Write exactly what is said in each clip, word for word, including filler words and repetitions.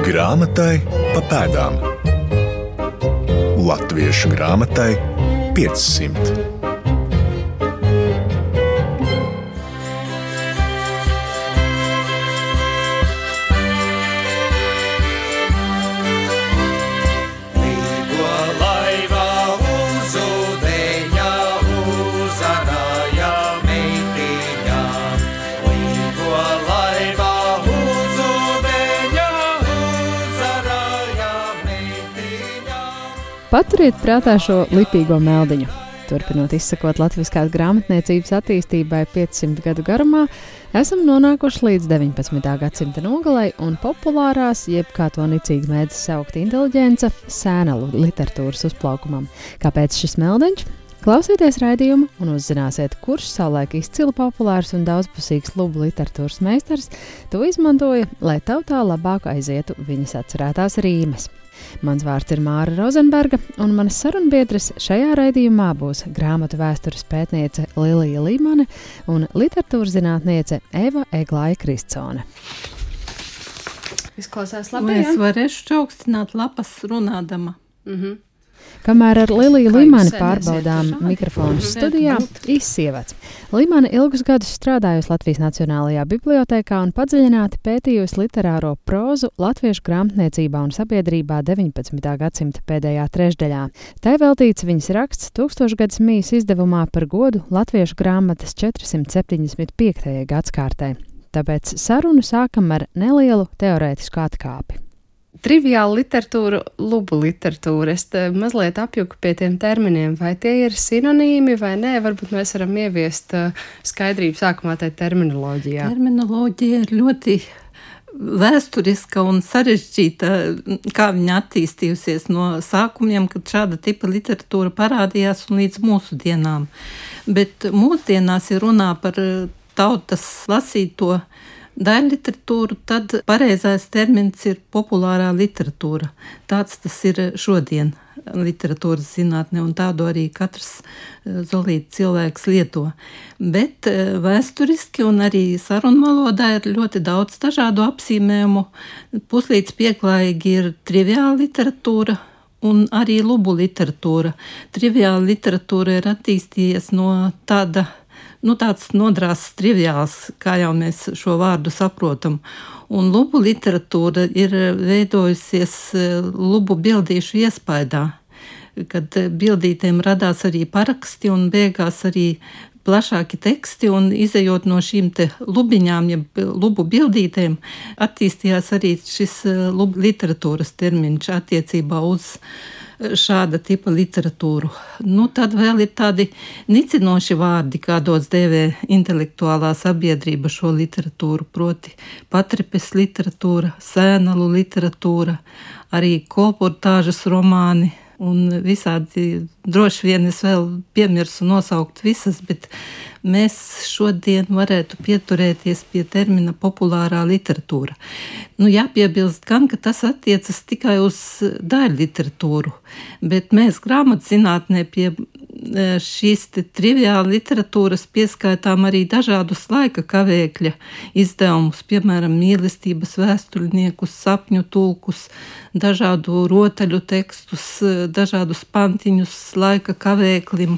Grāmatai pa pēdām. Latviešu grāmatai piecsimt. Paturiet prātā šo lipīgo meldiņu. Turpinot izsakot latviskās grāmatniecības attīstībai piecsimt gadu garumā, esam nonākuši līdz deviņpadsmitā gadsimta nogalei un populārās, jeb kā to nicīgi mēdz saukt inteliģence, sēnalu literatūras uzplaukumam. Kāpēc šis meldiņš? Klausieties raidījumu un uzzināsiet, kurš savulaik izcili populārs un daudzpusīgs lubu literatūras meistars to izmantoja, lai tautā labāk aizietu viņas atcerētās rīmes. Mans vārds ir Māra Rozenberga, un manas sarunbiedres šajā raidījumā būs grāmatu vēstures pētniece Lilija Līmane un literatūras zinātniece Eva Eglāja Kristsone. Izklausās labi, Vai ja? es varēšu čaukstināt lapas runādama? Mhm. Kamēr ar Liliju Kā Līmani jūs pārbaudām sēdēsiet mikrofonu pašādi? studijā, izsievats. Līmane ilgus gadus strādājusi Latvijas Nacionālajā bibliotēkā un padziļināti pētījusi literāro prózu latviešu grāmatniecībā un sabiedrībā deviņpadsmitā gadsimta pēdējā trešdaļā. Tai veltīts viņas raksts Tūkstošgads mijas izdevumā par godu latviešu grāmatas četrsimt septiņdesmit piektajai gadskārtai. Tāpēc sarunu sākam ar nelielu teorētisku atkāpi. Triviāla literatūra, lubu literatūra. Es te mazliet apjuku pie tiem terminiem. Vai tie ir sinonīmi vai nē? Varbūt mēs varam ieviest uh, skaidrību sākumā tai terminoloģijā. Terminoloģija ir ļoti vēsturiska un sarežģīta, kā viņa attīstījusies no sākumiem, kad šāda tipa literatūra parādījās un līdz mūsu dienām. Bet mūsdienās ir runā par tautas lasīto daļliteratūru, tad pareizais termins ir populārā literatūra. Tāds tas ir šodien literatūras zinātne, un tādu arī katrs zolīti cilvēks lieto. Bet vēsturiski un arī sarunvalodā ir ļoti daudz dažādu apzīmējumu. Puslīdz pieklājīgi ir triviāla literatūra un arī lubu literatūra. Triviāla literatūra ir attīstījies no tāda Nu, tāds nodrāsts triviāls, kā jau mēs šo vārdu saprotam. Un lubu literatūra ir veidojusies lubu bildīšu iespaidā, kad bildītēm radās arī paraksti un beigās arī plašāki teksti, un izejot no šīm te lubiņām, ja lubu bildītēm, attīstījās arī šis lubu literatūras termiņš attiecībā uz šāda tipa literatūru. Nu, tad vēl ir tādi nicinoši vārdi, kādos dēvē intelektuālā sabiedrība šo literatūru, proti patripes literatūra, sēnalu literatūra, arī kolportāžas romāni un visādi, droši vien es vēl piemirsu nosaukt visas, bet mēs šodien varētu pieturēties pie termina populārā literatūra. Nu, jāpiebilst gan, ka tas attiecas tikai uz daļu literatūru, bet mēs grāmatzinātnē pie šīs te triviāla literatūras pieskaitām arī dažādus laika kavēkļa izdevumus, piemēram, mīlestības vēsturniekus, sapņu tulkus, dažādu rotaļu tekstus, dažādus pantiņus laika kavēklim,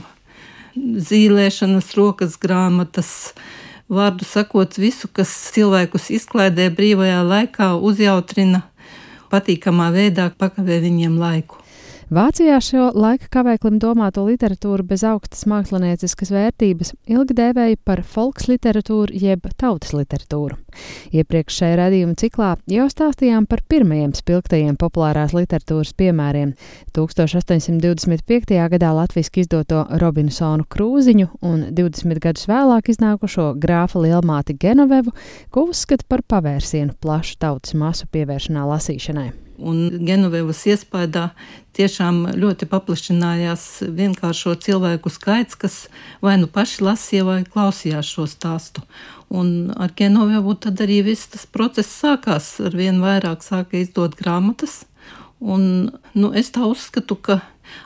zīlēšanas rokas grāmatas, vārdu sakot visu, kas cilvēkus izklaidē brīvajā laikā, uzjautrina, patīkamā veidā pakavē viņiem laiku. Vācijā šo laika kavēklim domāto literatūru bez augstas mākslinieciskas vērtības ilgi dēvēja par folksliteratūru jeb tautas literatūru. Iepriekš šajā raidījuma ciklā jau stāstījām par pirmajiem spilgtajiem populārās literatūras piemēriem – tūkstoš astoņsimt divdesmit piektajā gadā latviski izdoto Robinsonu Krūziņu un divdesmit gadus vēlāk iznākušo grāfa lielmāti Genovevu, ko uzskata par pavērsienu plašu tautas masu pievēršanā lasīšanai. Un Genovevas iespaidā tiešām ļoti paplašinājās vienkāršo cilvēku skaits, kas vai nu paši lasīja vai klausījās šo stāstu. Un ar Genovevu tad arī viss tas process sākās, ar vien vairāk sāka izdot grāmatas, Un, nu, es tā uzskatu, ka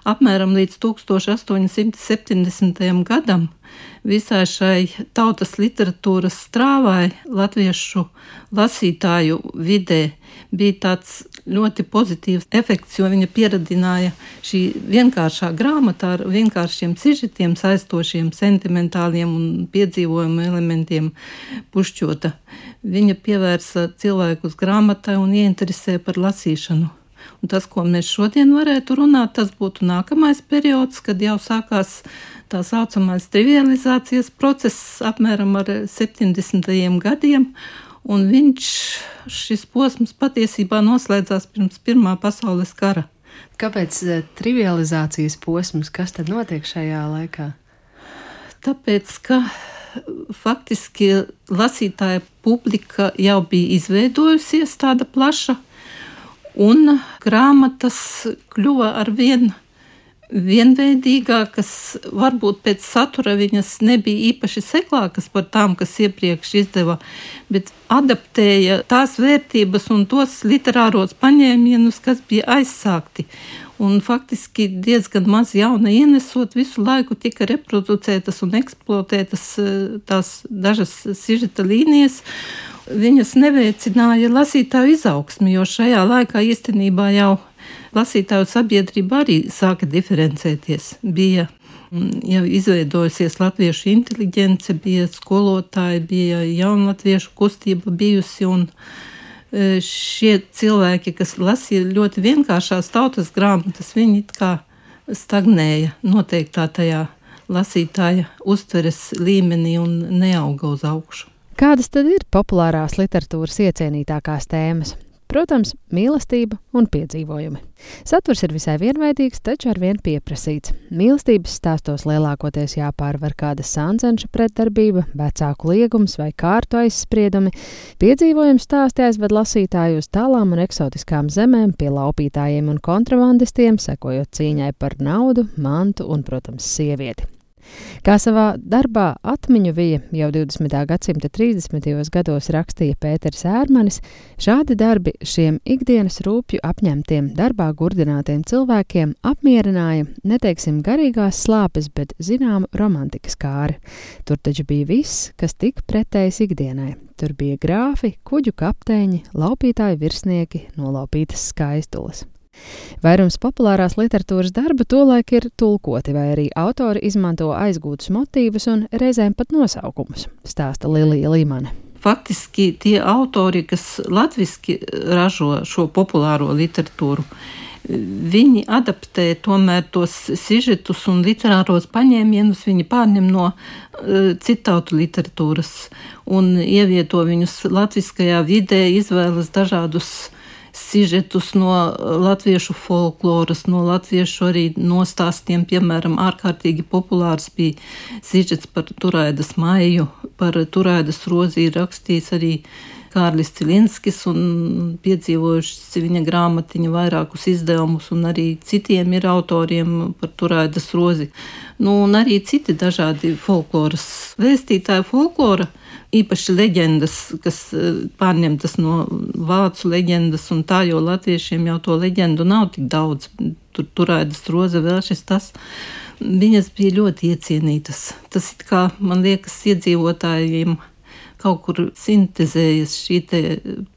apmēram līdz tūkstoš astoņsimt septiņdesmitajam gadam visai šai tautas literatūras strāvai latviešu lasītāju vidē bija tāds ļoti pozitīvs efekts, jo viņa pieradināja šī vienkāršā grāmata ar vienkāršiem sižetiem, saistošiem, sentimentāliem un piedzīvojumu elementiem pušķota. Viņa pievērsa cilvēkus grāmatai un ieinteresēja par lasīšanu. Un tas, ko mēs šodien varētu runāt, tas būtu nākamais periods, kad jau sākās tā saucamais trivializācijas process apmēram ar septiņdesmitajiem gadiem, un viņš, šis posms patiesībā noslēdzās pirms Pirmā pasaules kara. Kāpēc trivializācijas posms? Kas tad notiek šajā laikā? Tāpēc, ka faktiski lasītāja publika jau bija izveidojusies tāda plaša, un grāmatas kļuva ar vien vienveidīgākas, varbūt pēc satura viņas nebija īpaši seklākas par tām, kas iepriekš izdeva, bet adaptēja tās vērtības un tos literāros paņēmienus, kas bija aizsākti. Un faktiski diezgan maz jauna ienesot, visu laiku tika reproducētas un eksploatētas tās dažas sižeta līnijas. Viņas neveicināja lasītāju izaugsmi, jo šajā laikā īstenībā jau lasītāju sabiedrība arī sāka diferencēties. Bija jau izveidojusies latviešu inteliģence, bija skolotāji, bija jaunlatviešu kustība bijusi, un šie cilvēki, kas lasīja ļoti vienkāršās tautas grāmatas, viņi it kā stagnēja noteiktā tajā lasītāja uztveres līmenī un neauga uz augšu. Kādas tad ir populārās literatūras iecienītākās tēmas? Protams, mīlestība un piedzīvojumi. Saturs ir visai vienveidīgs, taču ar vien pieprasīts. Mīlestības stāstos lielākoties jāpārvar kāda sancenša pretdarbība, vecāku liegums vai kārtu aizspriedumi. Piedzīvojumi stāsti aizved lasītāju uz tālām un eksotiskām zemēm pie laupītājiem un kontrabandistiem, sekojot cīņai par naudu, mantu un, protams, sievieti. Kā savā darbā Atmiņu vija jau divdesmitā gadsimta trīsdesmitajos gados rakstīja Pēters Ērmanis, šādi darbi šiem ikdienas rūpju apņemtiem, darbā gurdinātiem cilvēkiem apmierināja, neteiksim garīgās slāpes, bet zināmu romantikas kāri. Tur taču bija viss, kas tik pretējs ikdienai. Tur bija grāfi, kuģu kapteiņi, laupītāji virsnieki, nolaupītas skaistules. Vairums populārās literatūras darba tolaik ir tulkoti, vai arī autori izmanto aizgūtus motīvus un reizēm pat nosaukumus, stāsta Lilija Līmane. Faktiski tie autori, kas latviski ražo šo populāro literatūru, viņi adaptē tomēr tos sižetus un literāros paņēmienus, viņi pārņem no uh, citautu literatūras un ievieto viņus latviskajā vidē, izvēlas dažādus sižetus no latviešu folkloras, no latviešu arī nostāstiem, piemēram, ārkārtīgi populārs bija sižets par Turaidas Maiju, par Turaidas Rozi ir rakstījis arī Kārlis Cilinskis un piedzīvojuši viņa grāmatiņu vairākus izdevumus, un arī citiem ir autoriem par Turaidas Rozi. Nu, un arī citi dažādi folkloras vēstītāji folklora, īpaši leģendas, kas pārņemtas no vācu leģendas un tā, jo latviešiem jau to leģendu nav tik daudz. Tur Turaidas Roze vēl šis tas. Viņas bija ļoti iecienītas. Tas it kā, man liekas, iedzīvotājiem kaut kur sintezējas šī te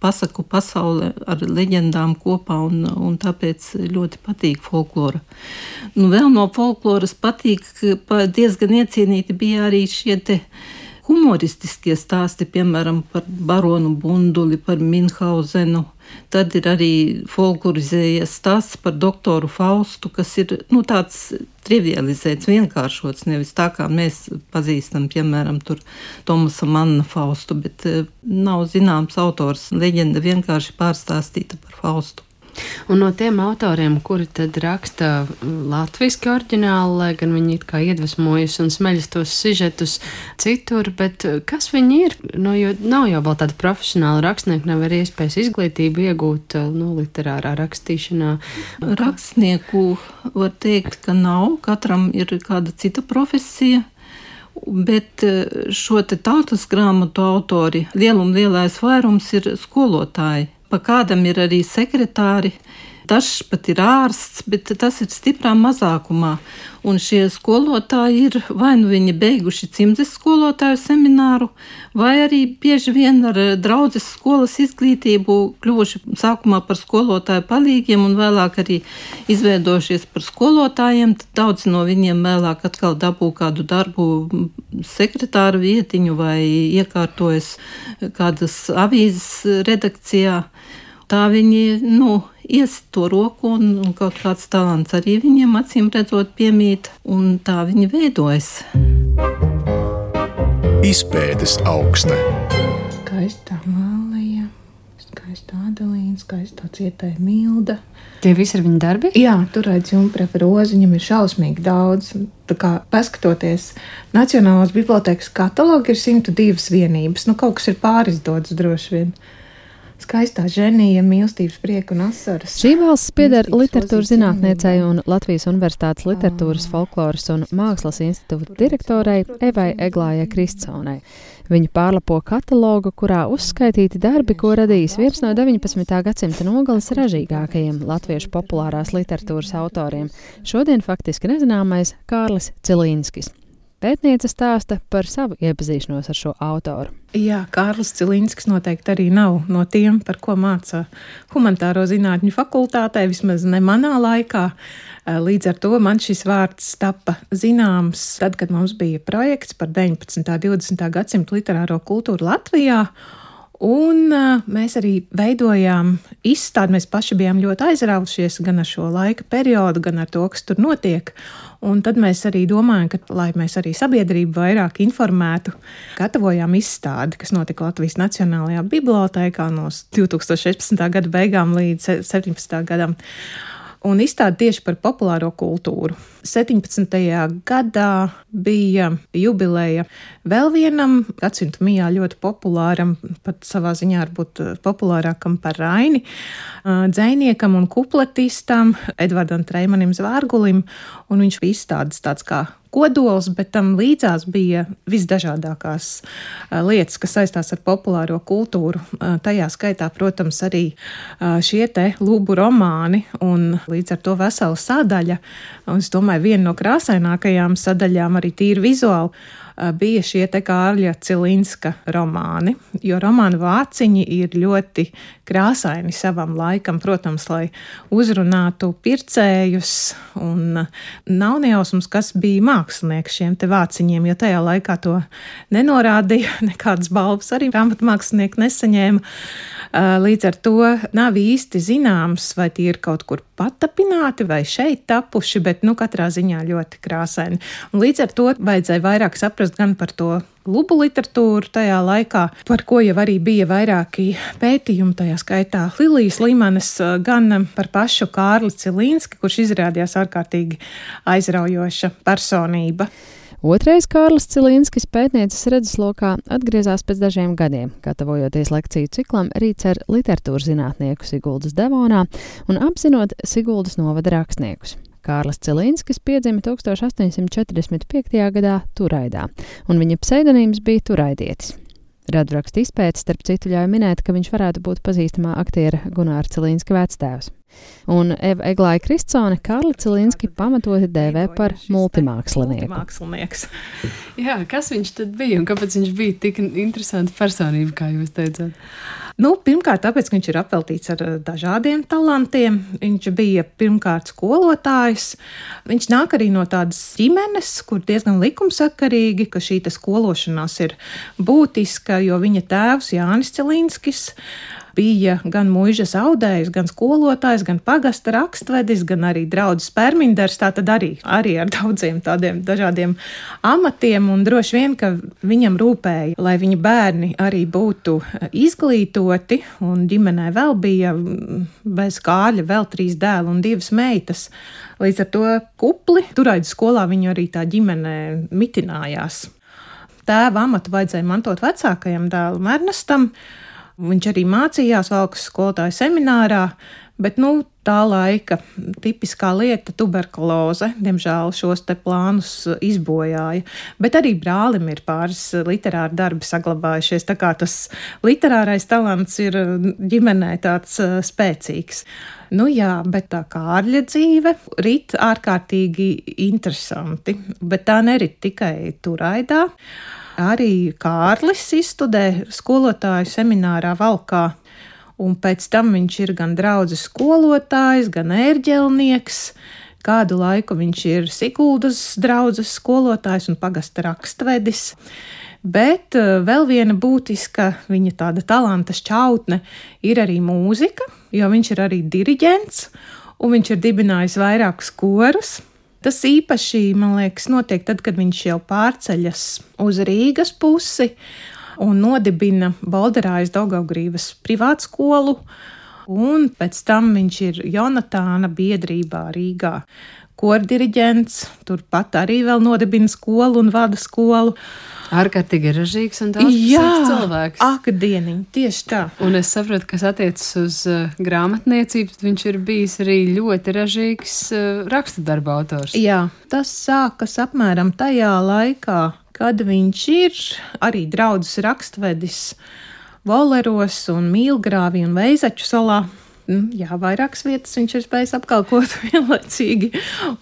pasaku pasaule ar leģendām kopā, un, un tāpēc ļoti patīk folklora. Nu, vēl no folkloras patīk, diezgan iecienīti bija arī šie te humoristiskie stāsti, piemēram, par baronu Bunduli, par Minhauzenu. Tad ir arī folklorizējies stāsts par doktoru Faustu, kas ir nu, tāds trivializēts, vienkāršots, nevis tā kā mēs pazīstam, piemēram, tur Tomasa Manna Faustu, bet nav zināms autors, leģenda vienkārši pārstāstīta par Faustu. Un no tiem autoriem, kuri tad raksta latviski oriģināli, lai gan viņi it kā iedvesmojas un smeļas tos sižetus citur, bet kas viņi ir? Nu, jo nav jau vēl tāda profesionāla rakstnieka, nav arī iespējas izglītību iegūt nu, literārā rakstīšanā. Rakstnieku var teikt, ka nav, katram ir kāda cita profesija. Bet šo te tautas grāmatu autori, lielum lielais vairums ir skolotāji. Pa kādam ir arī sekretāri, Dažs pat ir ārsts, bet tas ir stiprā mazākumā. Un šie skolotāji ir vai nu viņi beiguši cimdes skolotāju semināru, vai arī bieži vien ar draudzes skolas izglītību kļuvuši sākumā par skolotāju palīgiem un vēlāk arī izveidojušies par skolotājiem. Tad daudz no viņiem vēlāk atkal dabū kādu darbu sekretāru vietiņu vai iekārtojas kādas avīzes redakcijā. Tā viņi, nu, iesit to roku un, un kaut kāds talants arī viņiem acīm redzot piemīt, un tā viņi veidojas. Izpētes aukste. Skaistā Mālija, skaistā Adelīna, skaistā Cietēja Milda. Tie visi ir viņa darbi? Jā, tur redz Jumpreva rozi, viņam ir šausmīgi daudz. Tā kā paskatoties, Nacionālās bibliotēkas katalogu ir simt divas vienības. Nu, kaut kas ir pārizdots droši vien. Skaistā ženija, mīlestības prieka un asaras. Šī valsts pieder literatūras zinātniecei un Latvijas Universitātes literatūras, folkloras un mākslas institūta direktorei Evai Eglājai Kristsonai. Viņa pārlapo katalogu, kurā uzskaitīti darbi, ko radījis viens no deviņpadsmitā gadsimta nogales ražīgākajiem latviešu populārās literatūras autoriem, šodien faktiski nezināmais Kārlis Cilīnskis. Pētniece stāsta par savu iepazīšanos ar šo autoru. Jā, Kārlis Cilīnskis noteikti arī nav no tiem, par ko māca humanitāro zinātņu fakultātē, vismaz ne manā laikā. Līdz ar to man šis vārds tapa zināms tad, kad mums bija projekts par deviņpadsmitā un divdesmitā gadsimta literāro kultūru Latvijā. Un mēs arī veidojām izstādi, mēs paši bijām ļoti aizraujušies gan ar šo laika periodu, gan ar to, kas tur notiek. Un tad mēs arī domājam, ka, lai mēs arī sabiedrību vairāk informētu, gatavojām izstādi, kas notika Latvijas Nacionālajā bibliotēkā no divtūkstoš sešpadsmitā gada beigām līdz septiņpadsmitā gadam. Un izstādi tieši par populāro kultūru. septiņpadsmitajā gadā bija jubileja vēl vienam gadsimta mijā ļoti populāram, pat savā ziņā varbūt populārākam par Raini, dzejniekam un kupletistam Edvardam Treimanim Zvārgulim, un viņš bija izstādes tāds kā kodols, bet tam līdzās bija visdažādākās lietas, kas saistās ar populāro kultūru. Tajā skaitā, protams, arī šie te lūbu romāni un līdz ar to vesela sadaļa. Un es domāju, viena no krāsainākajām sadaļām arī tīri vizuāli bija šie te Kārļa Cilīnska romāni, jo romānu vāciņi ir ļoti krāsaini savam laikam, protams, lai uzrunātu pircējus, un nav nejausmas, kas bija mākslinieks šiem te vāciņiem, jo tajā laikā to nenorādīja, nekādas balvas arī grāmatmākslinieki nesaņēma. Līdz ar to nav īsti zināms, vai tie ir kaut kur patapināti vai šeit tapuši, bet nu katrā ziņā ļoti krāsaini. Un līdz ar to vajadzēja vairāk saprast gan par to lubu literatūru tajā laikā, par ko jau arī bija vairāki pētījumi, tajā skaitā Lilijas Limanes, gan par pašu Kārli Cilīnski, kurš izrādījās ārkārtīgi aizraujoša personība. Otrais Kārlis Cilīnskis pētnieces redzeslokā atgriezās pēc dažiem gadiem, gatavojoties lekciju ciklam Rīts ar literatūras zinātnieku Siguldas Devonā un apzinot Siguldas novada rakstniekus. Kārlis Cilīnskis piedzima tūkstoš astoņsimt četrdesmit piektajā gadā Turaidā, un viņa pseidonīms bija Turaidietis. Radvraksta izpētes starp citu ļauj minēt, ka viņš varētu būt pazīstamā aktiera Gunāra Cilīnska vectēvs. Un Eva Eglāja Kristsone Kārli Cilīnski pamatoti dēvē par multimākslinieku. Multimākslinieks. Jā, kas viņš tad bija un kāpēc viņš bija tik interesanta personība, kā jūs teicāt? Nu, pirmkārt, tāpēc, ka viņš ir apveltīts ar dažādiem talantiem. Viņš bija pirmkārt skolotājs. Viņš nāk arī no tādas ģimenes, kur diezgan likumsakarīgi, ka šī skološanās ir būtiska, jo viņa tēvs Jānis Cilīnskis bija gan muižas audējs, gan skolotājs, gan pagasta rakstvedis, gan arī draudzes perminders, tātad arī, arī ar daudziem tādiem dažādiem amatiem, un droši vien, ka viņam rūpēja, lai viņa bērni arī būtu izglītoti, un ģimenē vēl bija bez Kārļa vēl trīs dēli un divas meitas. Līdz ar to kupli Turaidas skolā viņu arī tā ģimene mitinājās. Tēva amatu vajadzēja mantot vecākajam dēlam Ernestam, Viņš arī mācījās Valkas skolotāju seminārā, bet nu, tā laika tipiskā lieta - tuberkuloze, diemžēl šos te plānus izbojāja. Bet arī brālim ir pāris literāri darbi saglabājušies, tā kā tas literārais talants ir ģimenē tāds spēcīgs. Nu jā, bet tā Kārļa dzīve rit ārkārtīgi interesanti, bet tā nerit tikai Turaidā. Arī Kārlis izstudē skolotāju seminārā Valkā. Un pēc tam viņš ir gan draudzes skolotājs, gan ērģelnieks. Kādu laiku viņš ir Siguldas draudzes skolotājs un pagasta rakstvedis. Bet vēl viena būtiska viņa tāda talanta šķautne ir arī mūzika, jo viņš ir arī diriģents un viņš ir dibinājis vairākus korus. Tas īpaši, man liekas, notiek tad, kad viņš jau pārceļas uz Rīgas pusi un nodibina Bolderājas Daugavgrīvas privātskolu, un pēc tam viņš ir Jonatāna biedrībā Rīgā kordiriģents, turpat arī vēl nodibina skolu un vada skolu. Ārkārtīgi ražīgs un daudzpusīgs cilvēks. Ak, dieniņ, tieši tā. Un es saprotu, kas attiecas uz uh, grāmatniecību, viņš ir bijis arī ļoti ražīgs uh, rakstu darba autors. Jā, tas sākas apmēram tajā laikā, kad viņš ir arī draudzes rakstvedis Voleros un Mīlgrāvī un Veizaču salā. Jā, vairākas vietas viņš ir spējis apkalpot vienlaicīgi.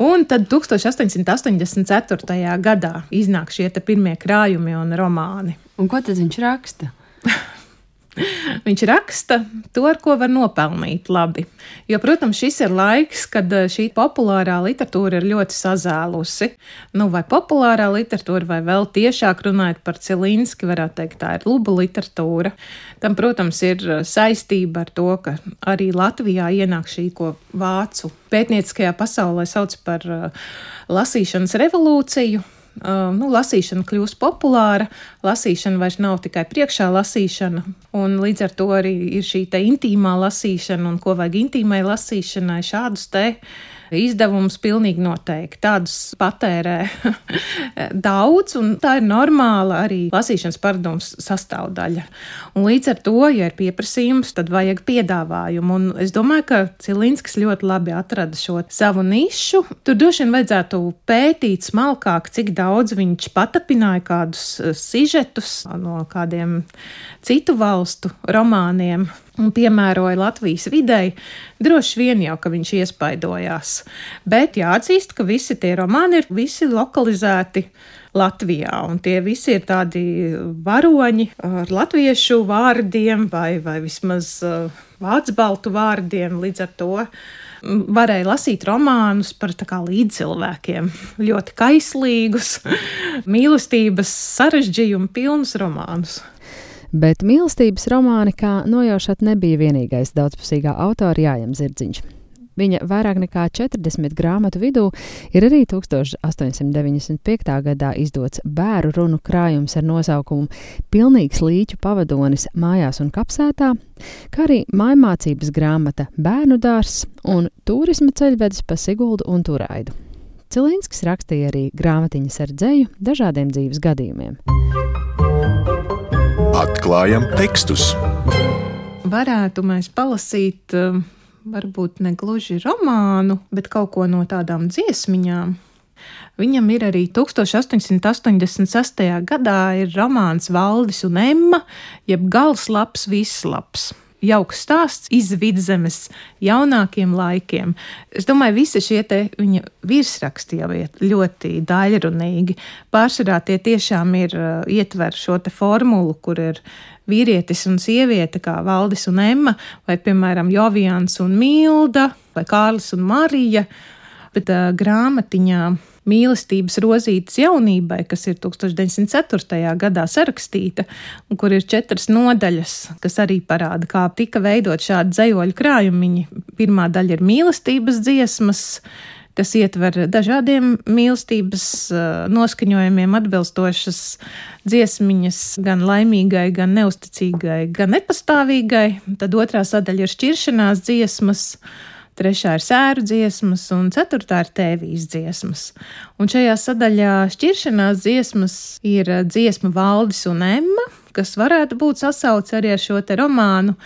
Un tad tuksstoš astoņsimt astoņdesmit ceturtajā gadā iznāk šie te pirmie krājumi un romāni. Un ko tad viņš raksta? Viņš raksta to, ar ko var nopelnīt labi. Jo, protams, šis ir laiks, kad šī populārā literatūra ir ļoti sazēlusi. Nu, vai populārā literatūra, vai vēl tiešāk runājot par Cilinski, varētu teikt, tā ir lubu literatūra. Tam, protams, ir saistība ar to, ka arī Latvijā ienāk šī, ko vācu pētnieciskajā pasaulē sauc par lasīšanas revolūciju. Uh, nu, lasīšana kļūst populāra, lasīšana vairs nav tikai priekšā lasīšana, un līdz ar to arī ir šī te intīmā lasīšana, un ko vajag intīmai lasīšanai, šādus te izdevumus pilnīgi noteikti. Tādus patērē daudz, un tā ir normāla arī lasīšanas paradumas sastāvdaļa. Un līdz ar to, ja ir pieprasījums, tad vajag piedāvājumu, un es domāju, ka Cilinskis ļoti labi atrada šo savu nišu. Tur droši vien vajadzētu pētīt smalkāk, cik daudz viņš patapināja kādus sižetus no kādiem citu valstu romāniem un piemēroja Latvijas videi. Droši vien jau, ka viņš iespaidojās. Bet jāatzīst, ka visi tie romāni ir visi lokalizēti Latvijā, un tie visi ir tādi varoņi ar latviešu vārdiem vai, vai vismaz vācbaltu vārdiem. Līdz ar to varēja lasīt romānus par tā kā līdzcilvēkiem, ļoti kaislīgus, mīlestības sarežģījumu pilnus romānus. Bet mīlestības romāni, kā nojaušat, nebija vienīgais daudzpusīgā autora Jājam Zirdziņš. Viņa vairāk nekā četrdesmit grāmatu vidū ir arī tuksstoš astoņsimt deviņdesmit piektā gadā izdots bēru runu krājums ar nosaukumu Pilnīgs līķu pavadonis mājās un kapsētā, kā arī mājmācības grāmata Bērnu dārzs un turisma ceļvedis pa Siguldu un Turaidu. Cilinskis rakstīja arī grāmatiņas ar dzeju dažādiem dzīves gadījumiem. Atklājam tekstus. Varētu mēs palasīt varbūt ne gluži romānu, bet kaut ko no tādām dziesmiņām. Viņam ir arī tuksstoš astoņsimt astoņdesmit sestajā gadā ir romāns Valdis un Emma, jeb gals labs, viss labs. Jauks stāsts iz Vidzemes jaunākiem laikiem. Es domāju, visi šie te viņa virsraksti jau ir ļoti daļrunīgi. Pārsvarā tie tiešām ir ietver šo te formulu, kur ir vīrietis un sieviete, kā Valdis un Emma, vai, piemēram, Jovians un Milda, vai Kārlis un Marija, bet uh, grāmatiņā Mīlestības rozītes jaunībai, kas ir tuksstoš deviņsimt ceturtajā gadā sarakstīta, un kur ir četras nodaļas, kas arī parāda, kā tika veidot šādi dzejoļu krājumiņi. Pirmā daļa ir mīlestības dziesmas, kas ietver dažādiem mīlestības noskaņojumiem atbilstošas dziesmiņas, gan laimīgai, gan neusticīgai, gan nepastāvīgai. Tad otrā sadaļa ir šķiršanās dziesmas, trešā ir sēru dziesmas un ceturtā ir tēvijas dziesmas. Un šajā sadaļā šķiršanās dziesmas ir dziesma Valdis un Emma, kas varētu būt sasauc arī ar šo te romānu.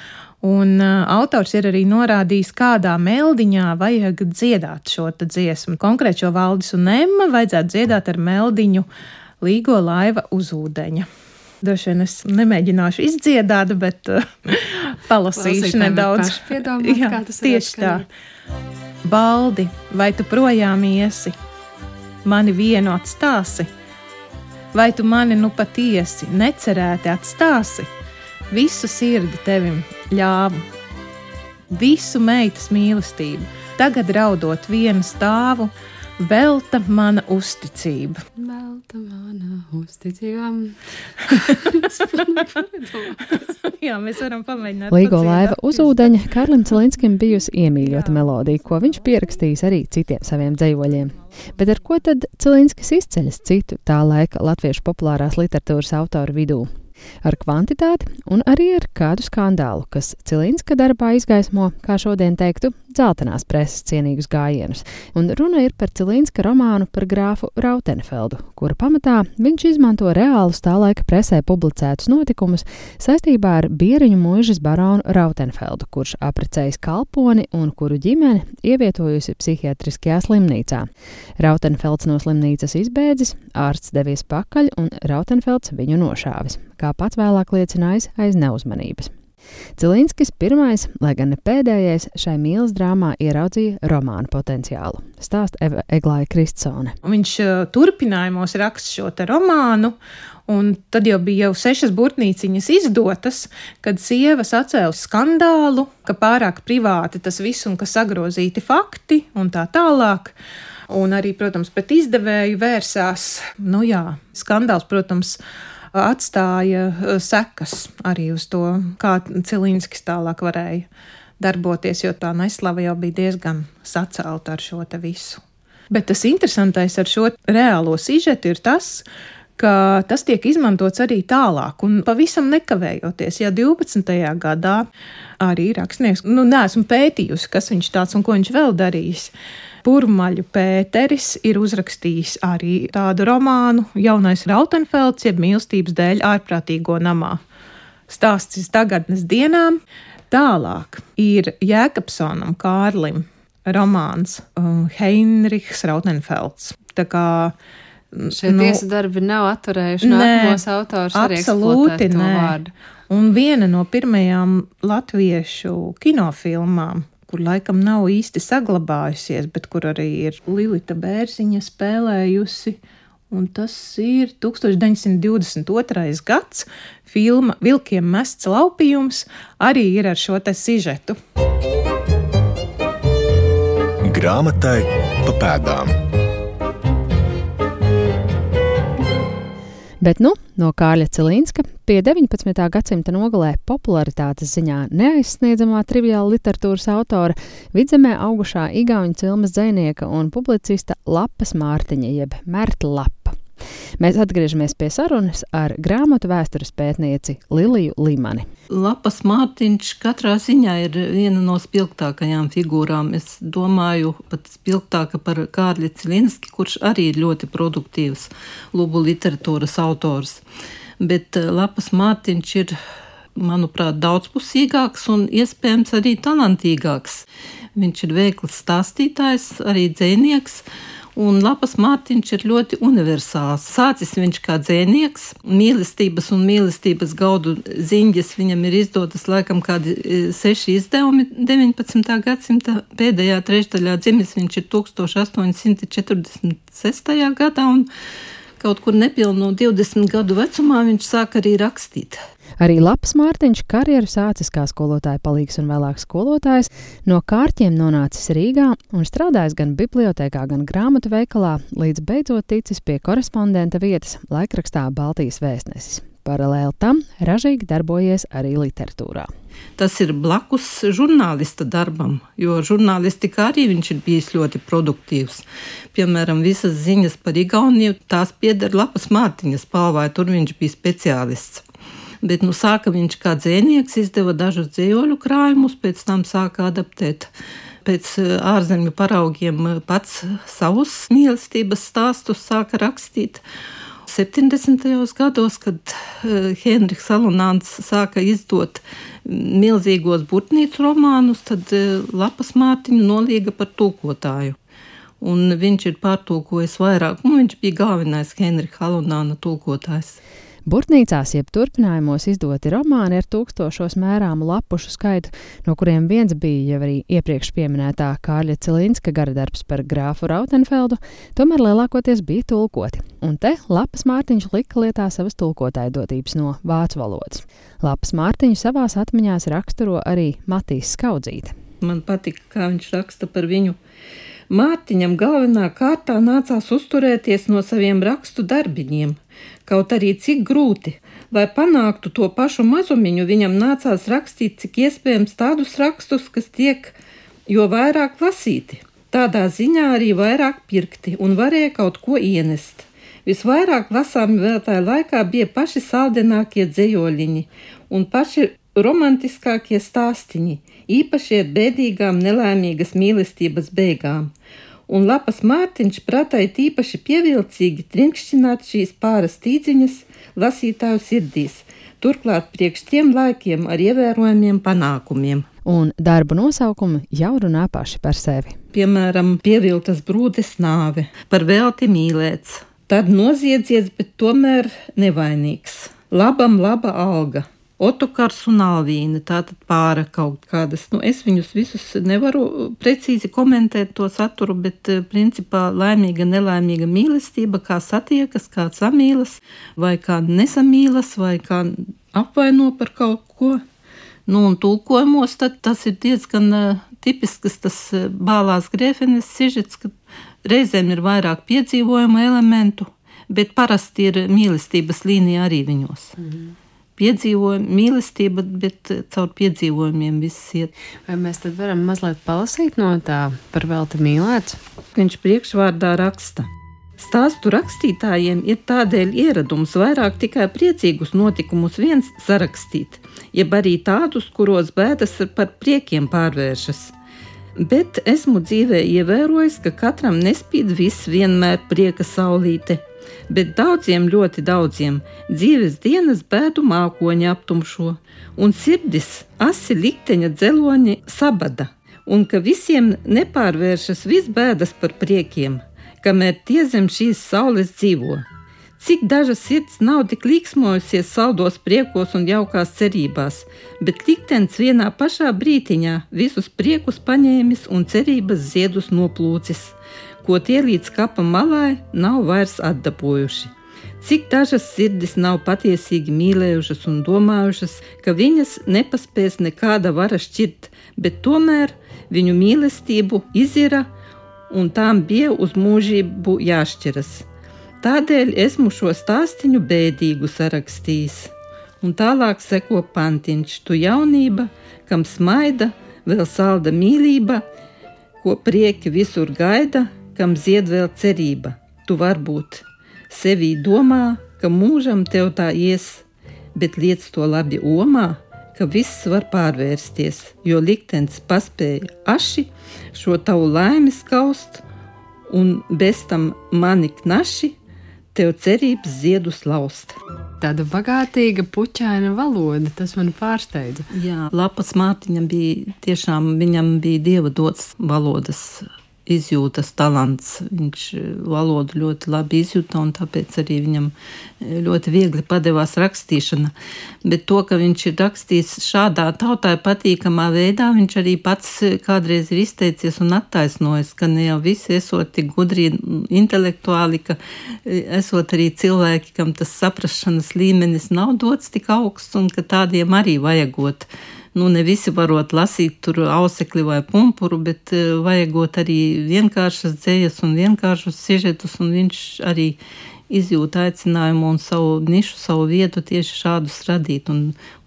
Un uh, autors ir arī norādījis, kādā meldiņā vajag dziedāt šo te dziesmu. Konkrēt šo Valdis un Emma vajadzētu dziedāt ar meldiņu Līgo laiva uz ūdeņa. Droši vien es nemēģināšu izdziedāt, bet uh, palasīšu nedaudz. Piedomāt, jā, kā tas tieši tā. Baldi, vai tu projām iesi? Mani vienu atstāsi? Vai tu mani nu patiesi necerēti atstāsi? Visu sirdi tevim ļāvu, visu meitas mīlestību, tagad raudot vienu stāvu, velta mana uzticība. Velta mana uzticība. Jā, mēs varam pamēģināt. Līgo laiva uz ūdeņa Kārlim Cilinskim bijusi iemīļota melodija, ko viņš pierakstījis arī citiem saviem dzejoļiem. Bet ar ko tad Cilinskis izceļas citu tā laika latviešu populārās literatūras autoru vidū? Ar kvantitāti un arī ar kādu skandālu, kas Cilinska darbā izgaismo, kā šodien teiktu, dzeltenās preses cienīgus gājienus. Un runa ir par Cilinska romānu par grāfu Rautenfeldu, kura pamatā viņš izmanto reālus tā laika presē publicētus notikumus saistībā ar Bieriņu muižas baronu Rautenfeldu, kurš apprecējis kalponi un kuru ģimeni ievietojusi psihiatriskajā slimnīcā. Rautenfelds no slimnīcas izbēdzis, ārsts devies pakaļ un Rautenfelds viņu nošāvis, kā pats vēlāk liecinājis aiz neuzmanības. Cilinskis pirmais, lai gan ne pēdējais, šai mīlas drāmā ieraudzīja romānu potenciālu. Stāsta Eva Eglāja Kristsone. Viņš uh, turpinājumos raksta šo te romānu, un tad jau bija jau sešas burtnīciņas izdotas, kad sievas atcēla skandālu, ka pārāk privāti tas viss un ka sagrozīti fakti un tā tālāk. Un arī, protams, pret izdevēju vērsās. Nu jā, skandāls, protams, atstāja sekas arī uz to, kā Cilinskis tālāk varēja darboties, jo tā neslava jau bija diezgan sacelta ar šo te visu. Bet tas interesantais ar šo reālo sižetu ir tas, ka tas tiek izmantots arī tālāk un pavisam nekavējoties. Ja divpadsmitajā gadā arī rakstnieks, nu neesmu pētījusi, kas viņš tāds un ko viņš vēl darījis, Purmaļu Pēteris ir uzrakstījis arī tādu romānu Jaunais Rautenfelds, jeb mīlestības dēļ ārprātīgo namā. Stāsts tagadnes dienām. Tālāk ir Jēkabsonam Kārlim romāns um, Heinrichs Rautenfelds. Tā kā šie nu, tiesa darbi nav atturējuši nākamos autors arī eksploatēt to vārdu. Un viena no pirmajām latviešu kinofilmām, kur laikam nav īsti saglabājusies, bet kur arī ir Lilita Bērziņa spēlējusi, un tas ir tūkstoš deviņsimt divdesmit otrais gads, filma Vilkiem mests laupījums, arī ir ar šo te sižetu. Grāmatai pa pēdām. Bet nu, no Kārļa Cilinska pie deviņpadsmitā gadsimta nogalē popularitātes ziņā neaizsniedzamā triviāla literatūras autora, Vidzemē augušā igauņu cilmes dzejnieka un publicista Lapas Mārtiņa, jeb Merta Lapa. Mēs atgriežamies pie sarunas ar grāmatu vēstures pētnieci Liliju Limani. Lapas Mārtiņš katrā ziņā ir viena no spilgtākajām figūrām. Es domāju, pat spilgtāka par Kārli Cilinski, kurš arī ir ļoti produktīvs lubu literatūras autors. Bet Lapas Mārtiņš ir, manuprāt, daudzpusīgāks un iespējams arī talantīgāks. Viņš ir veikls stāstītājs, arī dzejnieks. Un Lapas Mārtiņš ir ļoti universāls. Sācis viņš kā dzejnieks, mīlestības un mīlestības gaudu ziņas viņam ir izdotas laikam kādi seši izdevumi deviņpadsmitā gadsimta pēdējā trešdaļā. Dzimis viņš ir tūkstoš astoņi simti četrdesmit sestajā gadā un kaut kur nepilnu divdesmit gadu vecumā viņš sāk arī rakstīt. Arī Lapas Mārtiņš karjeru sācis kā skolotāja palīgs un vēlāk skolotājs, no Kārķiem nonācis Rīgā un strādājis gan bibliotēkā, gan grāmatu veikalā, līdz beidzot ticis pie korespondenta vietas laikrakstā Baltijas vēstnesis. Paralēli tam ražīgi darbojies arī literatūrā. Tas ir blakus žurnālista darbam, jo žurnālistikā arī viņš ir bijis ļoti produktīvs. Piemēram, visas ziņas par Igauniju, tās pieder Lapas Mārtiņas palvai, tur viņš bija speciālists. Bet nu sāka viņš kā dzejnieks, izdeva dažus dzējoļu krājumus, pēc tam sāka adaptēt pēc ārzemju paraugiem pats savus mīlestības stāstus sāka rakstīt. septiņdesmitajos gados, kad uh, Henriks Alunāns sāka izdot milzīgos burtnīcu romānus, tad uh, Lapas Mārtiņu nolīga par tulkotāju. Un viņš ir pārtulkojis vairāk, un viņš bija galvenais Henrika Alunāna tulkotājs. Burtnīcās jeb turpinājumos izdoti romāni ar tūkstošos mērāmu lapušu skaitu, no kuriem viens bija jau arī iepriekš pieminētā Kārļa Cilinska garadarbs par grāfu Rautenfeldu, tomēr lielākoties bija tulkoti. Un te Lapas Mārtiņš lika lietā savas tulkotāja dotības no vācu valodas. Lapas Mārtiņu savās atmiņās raksturo arī Matīs Skaudzīte. Man patika, kā viņš raksta par viņu. Mārtiņam galvenā kārtā nācās uzturēties no saviem rakstu darbiņiem. Kaut arī cik grūti, lai panāktu to pašu mazumiņu, viņam nācās rakstīt cik iespējams tādus rakstus, kas tiek jo vairāk lasīti. Tādā ziņā arī vairāk pirkti un varēja kaut ko ienest. Visvairāk lasāmi vēl tajā laikā bija paši saldenākie dzejoļiņi un paši romantiskākie stāstiņi, īpaši ar bēdīgām nelaimīgas mīlestības beigām. Un Lapas Mārtiņš pratai tīpaši pievilcīgi trinkšķināt šīs pāras tīdziņas lasītāju sirdīs, turklāt priekš tiem laikiem ar ievērojumiem panākumiem. Un darbu nosaukumi jau runā paši par sevi. Piemēram, Pieviltas brūdes nāve, par velti mīlēts, tad noziedzies, bet tomēr nevainīgs, labam laba alga. Otokars un Alvīna, tātad pāra kaut kādas. Nu, es viņus visus nevaru precīzi komentēt to saturu, bet principā laimīga, nelaimīga mīlestība, kā satiekas, kā samīlas, vai kā nesamīlas, vai kā apvaino par kaut ko. Nu, un tulkojumos tad tas ir diezgan uh, tipisks tas uh, Bālās Grēfenes sižets, ka reizēm ir vairāk piedzīvojumu elementu, bet parasti ir mīlestības līnija arī viņos. Mhm. Piedzīvojumi, mīlestība, bet caur piedzīvojumiem viss iet. Vai mēs tad varam mazliet palasīt no tā par velti mīlēts? Viņš priekšvārdā raksta. Stāstu rakstītājiem ir tādēļ ieradums vairāk tikai priecīgus notikumus viens sarakstīt, jeb arī tādus, kuros bēdas par priekiem pārvēršas. Bet esmu dzīvē ievērojis, ka katram nespīd viss vienmēr prieka saulīte. Bet daudziem, ļoti daudziem, dzīves dienas bēdu mākoņi aptumšo, un sirdis asi likteņa dzeloņi sabada, un ka visiem nepārvēršas viss bēdas par priekiem, kamēr tie zem šīs saules dzīvo. Cik daža sirds nav tik līksmojusies saldos priekos un jaukās cerībās, bet liktenis vienā pašā brītiņā visus priekus paņēmis un cerības ziedus noplūcis, ko tie līdz kapa malai nav vairs atdabūjuši. Cik dažas sirdis nav patiesīgi mīlējušas un domājušas, ka viņas nepaspēs nekāda vara šķirt, bet tomēr viņu mīlestību izira un tām bija uz mūžību jāšķiras. Tādēļ esmu šo stāstiņu bēdīgu sarakstījis. Un tālāk seko pantiņš, tu jaunība, kam smaida, vēl salda mīlība, ko prieki visur gaida, kam zied vēl cerība. Tu varbūt sevī domā, ka mūžam tev tā ies, bet liec to labi omā, ka viss var pārvērsties, jo liktenis paspēja aši šo tavu laimi skaust, un bez tam mani knaši tev cerības ziedus laust. Tāda bagātīga puķaina valoda, tas man pārsteidza. Jā, Lapas Mārtiņam bija tiešām, viņam bija dieva dots valodas izjūtas talants. Viņš valodu ļoti labi izjūta un tāpēc arī viņam ļoti viegli padevās rakstīšana. Bet to, ka viņš ir rakstījis šādā tautai patīkamā veidā, viņš arī pats kādreiz ir izteicies un attaisnojis, ka ne jau visi esot tik gudri intelektuāli, ka esot arī cilvēki, kam tas saprašanas līmenis nav dots tik augsts un ka tādiem arī vajagot. Nu, ne visi varot lasīt tur ausekli vai pumpuru, bet uh, vajagot arī vienkāršas dzējas un vienkāršus sižetus, un viņš arī izjūt aicinājumu un savu nišu, savu vietu tieši šādus radīt, un,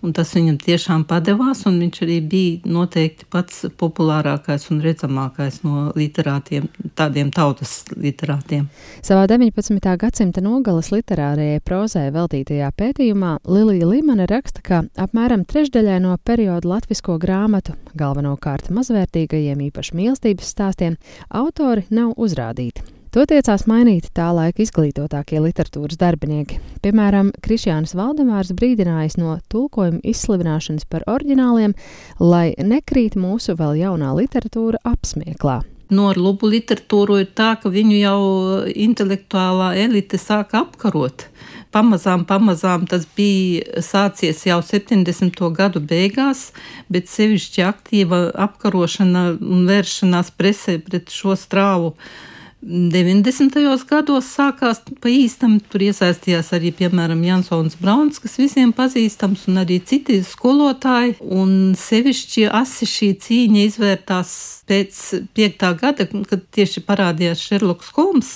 un tas viņam tiešām padevās, un viņš arī bija noteikti pats populārākais un redzamākais no literātiem, tādiem tautas literātiem. Savā deviņpadsmitā gadsimta nogalas literārajai prozai veltītajā pētījumā Lilija Limane raksta, ka apmēram trešdaļai no perioda latvisko grāmatu, galvenokārt mazvērtīgajiem īpaši mīlestības stāstiem, autori nav uzrādīti. To tiecās mainīt tā laika izglītotākie literatūras darbinieki. Piemēram, Krišjānis Valdemārs brīdinājis no tulkojuma izslivināšanas par oriģināliem, lai nekrīt mūsu vēl jaunā literatūra apsmieklā. No ar lubu literatūru ir tā, ka viņu jau intelektuālā elite sāka apkarot. Pamazām, pamazām tas bija sācies jau septiņdesmito gadu beigās, bet sevišķi aktīva apkarošana un vēršanās presē pret šo strāvu deviņdesmitajos gados sākās pa īstam. Tur iesaistījās arī, piemēram, Jansons Brauns, kas visiem pazīstams, un arī citi skolotāji. Un sevišķi asi šī cīņa izvērtās pēc piektā gada, kad tieši parādījās Šerloks Holms,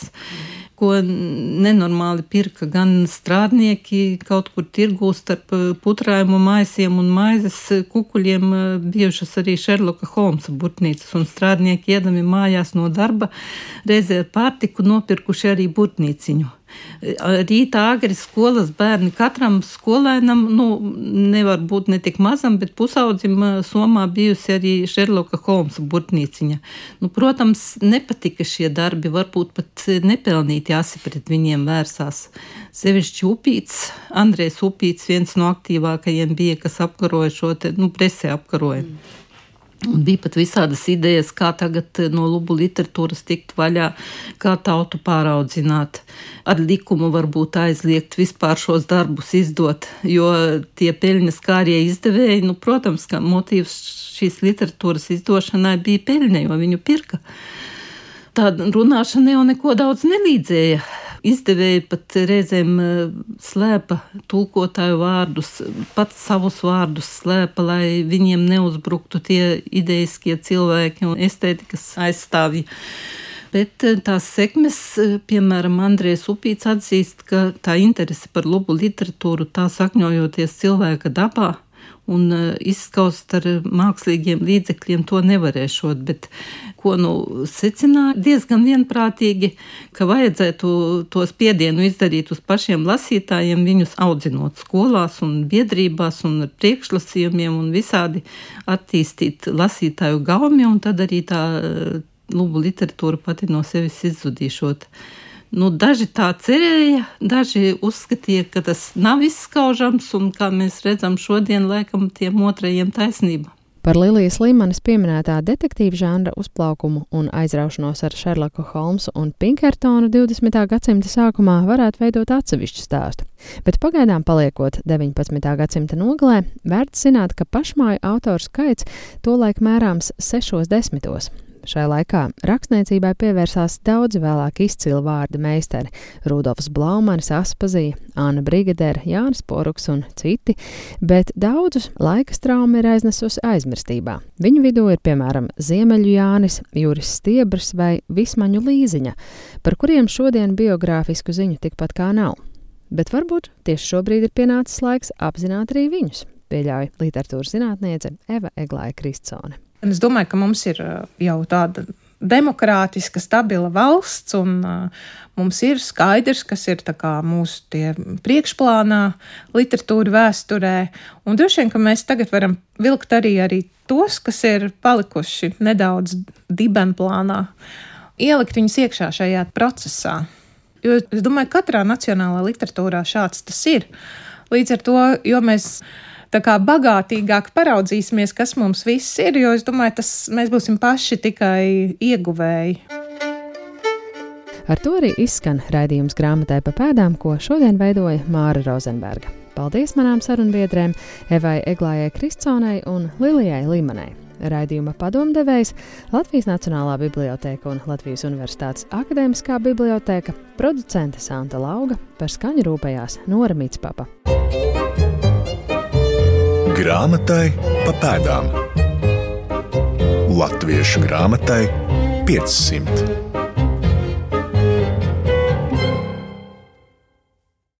ko nenormāli pirka gan strādnieki kaut kur tirgū starp putrājumu maisiem un maizes kukuļiem, bijušas arī Šerloka Holmsa burtnīcas, un strādnieki iedami mājās no darba reizē ar pārtiku nopirkuši arī burtnīciņu. Rītā agri skolas bērni katram skolēnam, nu, nevar būt ne tik mazam, bet pusaudzim somā bijusi arī Šerloka Holmsa burtnīciņa. Nu, protams, nepatika šie darbi, varbūt pat nepelnīti asi pret viņiem vērsās. Sevišķi Upīts, Andrejs Upīts, viens no aktīvākajiem bija, kas apkaroja šo te, nu, presē apkaroja. Mm. Un bija pat visādas idejas, kā tagad no lubu literatūras tikt vaļā, kā tautu pāraudzināt. Ar likumu varbūt aizliegt vispār šos darbus izdot, jo tie peļņas kārie izdevēji, nu, protams, ka motīvs šīs literatūras izdošanai bija peļņa, jo viņu pirka. Tā runāšana jau neko daudz nelīdzēja. Izdevēji pat reizēm slēpa tulkotāju vārdus, pat savus vārdus slēpa, lai viņiem neuzbruktu tie ideiskie cilvēki un estētikas aizstāvji. Bet tās sekmes, piemēram, Andrejs Upīts atzīst, ka tā interese par lubu literatūru tā sakņojoties cilvēka dabā un izskaust ar mākslīgiem līdzekļiem to nevarēšot, bet ko nu secināja diezgan vienprātīgi, ka vajadzētu to spiedienu izdarīt uz pašiem lasītājiem, viņus audzinot skolās un biedrībās un ar priekšlasījumiem un visādi attīstīt lasītāju gaumi, un tad arī tā lubu literatūra pati no sevis izzudīšot. Nu, daži tā cerēja, daži uzskatīja, ka tas nav izskaužams, un kā mēs redzam šodien, laikam tiem otrajiem taisnība. Par Lilijas Līmanes pieminētā detektīva žanra uzplaukumu un aizraušanos ar Šerloku Holmsu un Pinkertonu divdesmitā gadsimta sākumā varētu veidot atsevišķu stāstu. Bet pagaidām paliekot deviņpadsmitā gadsimta nogalē, vērts zināt, ka pašmāju autoru skaits tolaik mērāms sešos desmitos. Šai laikā rakstniecībai pievērsās daudzi vēlāk izcili vārda meistari – Rudolfs Blaumanis, Aspazija, Anna Brigadere, Jānis Poruks un citi, bet daudzus laika trauma ir aiznesusi aizmirstībā. Viņu vidū ir, piemēram, Ziemeļu Jānis, Juris Stiebrs vai Vismaņu Līziņa, par kuriem šodien biogrāfisku ziņu tikpat kā nav. Bet varbūt tieši šobrīd ir pienācis laiks apzināt arī viņus, pieļauj literatūras zinātniece Eva Eglāja Kristsone. Es domāju, ka mums ir jau tāda demokrātiska, stabila valsts, un uh, mums ir skaidrs, kas ir tā kā mūsu tie priekšplānā literatūra vēsturē, un droši vien, ka mēs tagad varam vilkt arī, arī tos, kas ir palikuši nedaudz dibenplānā, ielikt viņus iekšā šajā procesā. Jo es domāju, katrā nacionālā literatūrā šāds tas ir. Līdz ar to, jo mēs tā kā bagātīgāk paraudzīsimies, kas mums viss ir, jo es domāju, tas mēs būsim paši tikai ieguvēji. Ar to arī izskan raidījums Grāmatai pa pēdām, ko šodien veidoja Māra Rozenberga. Paldies manām sarunbiedrēm Evai Eglājai Kristsonei un Lilijai Līmanei. Raidījuma padomdevējs Latvijas Nacionālā bibliotēka un Latvijas Universitātes akadēmiskā bibliotēka, producente Santa Lauga, par skaņu rūpējās Nora Mitspapa. Grāmatai pa pēdām. Latviešu grāmatai piecsimt.